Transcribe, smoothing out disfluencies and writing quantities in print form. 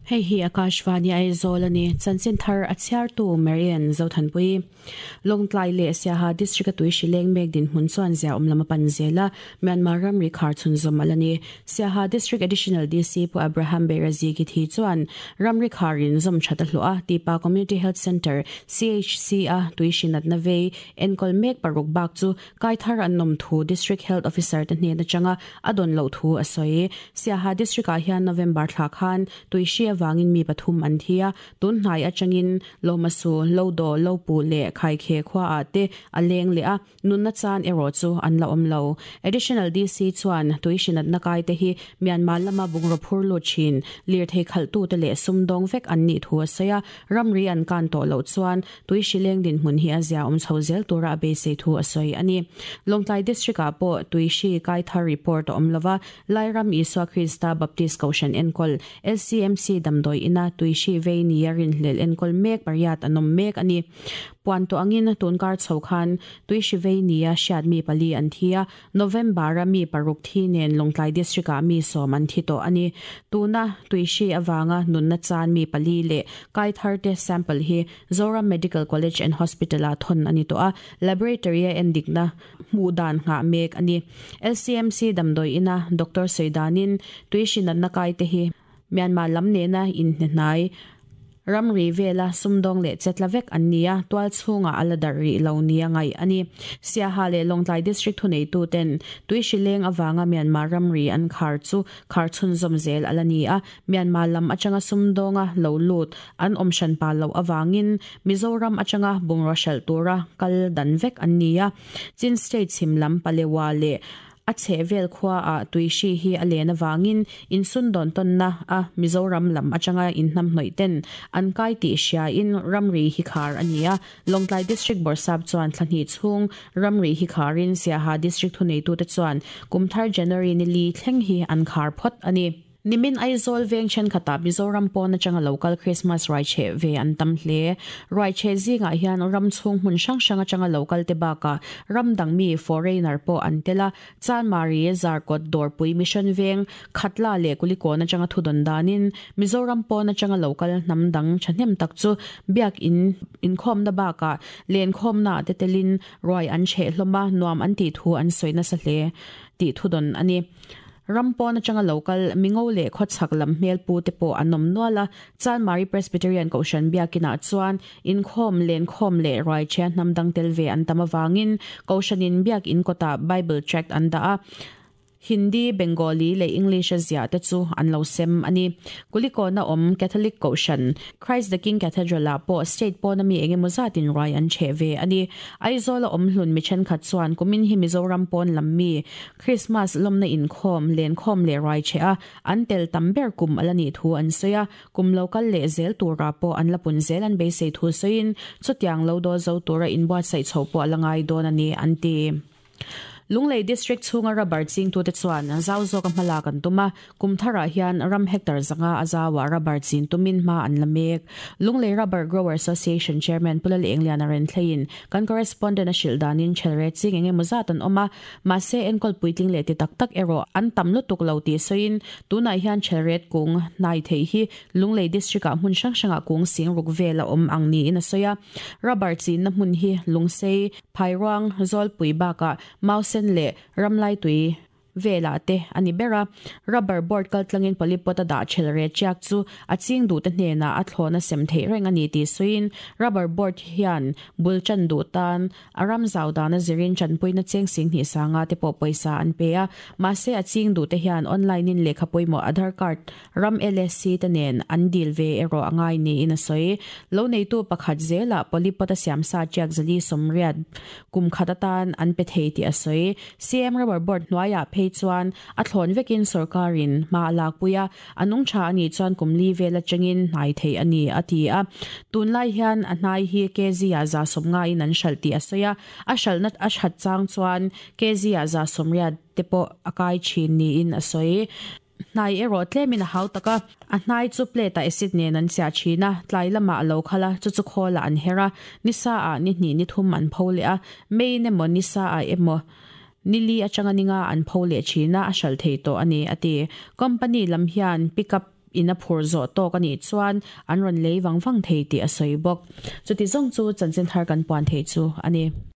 Hei hi Akashvani Aizawl a ni. Chanchin thar a chhiartu Marian Zothanpui. Lawngtlai leh Siaha District a tui hri leng mek dinhmun chuan ziaawm lam a pan zel a, Myanmar ramri khar chhunzawm a la ni. Siaha District Additional DC Pu Abraham Beirazi Githi chuan ramri kharin zawm that a hlawh a, Tipa Community Health Centre, CHC, a tui hri natna vei enkawl mek paruk bak chu Kai thar an awm thu District Health Officer te hnen atanga a dawn loh thu a sawi. Siaha District ah hian November thla khan tuihri avangin mi pathum an thi a, tun hnai atangin Lomasu, Lodo, Lopu leh Khaikhe khua ah te a leng leh a, nunna chan erawh chu an la awm lo. Additional DC chuan tuihri natna kai te hi Myanmar lama bungraw phur lut thin, lirthei khalhtute leh sumdawng vek an nih thu a sawi a, ramri an kan tawh loh chuan Tui hrileng dinhmun hi a zia awm chho zel tura a beisei thu a sawi a ni. Lawngtlai District ah pawh tui hri kai thar report a awm lova, Lairam Isua Krista Baptist Kohhran enkawl LCMC damdawi ina tui hri vei nia rinhlelh enkawl mek pariat an awm mek a ni. Puan tawh angin tunkar chho khan tui hri vei nia hriat mi pali an thi a, November-a mi paruk thi nen Lawngtlai District-ah mi sawm an thi tawh a ni. Tuna tuihri avanga nunna chan mi pali leh kai tharte sample hi Zoram Medical College and Hospital-ah thawn a ni tawh a, laboratory-a endikna hmuh dan nghah mek a ni. LCMC damdawi ina doctor sawi danin tuihri natna kaite hi Myanmar lam nena inhnehnai ramri vela sumdawng leh chetla vek an ni a, tual chhungah a la darh rih lo nia ngaih a ni. Siaha leh Lawngtlai District thuneituten tui hrileng avanga Myanmar ramri an khar chu khar chhunzawm zel a la ni a, Myanmar lam atanga sumdawnga lo lut an awm hran pa loh avangin Mizoram atanga bungraw hralh tura kal dan vek an ni a. Chin State chhim lam Palewa leh A chhehvel khuaah tuihri hi a len avangin insundawn tawnna a Mizoram lam atanga inhnamhnawih ten an kai tih hriain ramri hi khar a ni a. Lawngtlai District Bawrhsap chuan thla hnih chhung ramri hi kharin Siaha District thuneitute chuan kumthar January ni li thleng hi an khar phawt a ni. Nimin Aizawl veng thenkhatah Mizoram pawn atanga lo kal Krismas ruaicheh ve an tam hle. Ruaicheh zingah hian ram chhung hmun hrang hrang atanga lo kal te bakah ram dang mi, foreigner, pawh an tel a. Chanmari, Zarkawt, Dawrpui, Mission Veng, Khatla leh Kulikawn atanga thudawn danin Mizoram pawn atanga lo kal hnam dang thahnem tak chu biak in inkhawmna bakah lenkhawmnaah te telin ruai an cheh hlawm a, nuam an tih thu an sawi nasa hle tih thudawn a ni. Ram pawn atanga lo kal mingo leh khawchhak lam hmel pu te pawh an awm nual a, Chanmari Presbyterian Kohhran biakinah chuan inkhawm, lenkhawm leh ruaichhia hnam dang tel ve an tam avangin Kohhranin biakin kawtah Bible tract an dah a, Hindi, Bengali leh English a ziah te chu an lo sem a ni. Kulikawna awm Catholic Kohhran, Christ the King Cathedral ah pawh state pawna mi engemaw zatin ruai an chheh ve a ni. Aizawla awm hlun mi thenkhat chuan kumin hi Mizoram pawn lam mi Krismas lawmna inkhawm, lenkhawm leh ruai chheh a an tel tam ber kum a la nih thu an sawi a, kum lo kal leh zel turah pawh an la pun zel an beisei thu sawiin chutiang lo dawl zo tura inbuatsaih chho pawh a la ngai dawn a ni an ti. Lunglei District chhunga rubber chingtute chuan zau zawka hmalak an tum a, kum tharah hian ram hectare zanga a zauah rubber chin tumin hma an la mek. Lunglei Rubber Grower Association Chairman Pu Lalengliana Renthleiin kan correspondent a hrilh danin chelre ching eng emaw zat an awm a, mahse enkawl puitling leh ti tak tak erawh an tam lutuk lo tih sawiin tunah hian chelret kung hnai theih hi Lunglei District-ah hmun hrang hrangah kung sing ruk vel a awm ang niin a sawi a. Rubber chinna hmun hi Lungsei, Phairuang, Zawlpui bakah Mausen leh Ramlaitui velah te a ni ber a. Rubber board kaltlangin polypot a dah chhel re chiak chu a ching duhte hnenah a thlawna sem theih reng a ni tih sawiin rubber board hian bul chan duh tan a ram zau dana zirin chanpuina cheng sing hnih sanga te pawh pawisa an pe a. Mahse a ching duhte hian online in lehkha pawimawh Aadhaar card Ram LSC te nen an dil ve erawh a ngai niin a sawi. Lo neitu pakhat zelah polypot a siamsa tiak zali sawmriat kum khat atan an pe thei tih a sawi. CM Rubber Board hnuaiah phei chuan a thlawn vekin sorkarin hma a lakpui a, a nung tha a nih chuan kum li vel atangin hnai theih a ni, a ti a. Tunlai hian a hnai hi kg-ah 150 in an hralh tih a sawi a, a hralhna a that chang chuan kg-ah 180 te pawh a kai thin niin a sawi. Hnai erawh tlemin a hau tak a, a hnai chu plate-ah acid nen an chiah thin a, tlai lamah a lo khal a, chu chu khawlah an her a, ni saah ni hnih ni thum an pho leh a, main emaw ni saah emaw ni li atanga ni nga an pho leh thin a, a hralh thei tawh a ni, a ti. Company lam hian pick up. in a phur zawh tawk a nih chuan an rawn lei vang vang thei tih a sawi bawk. Chuti zawng chu chanchin thar kan puan theih chu a ni.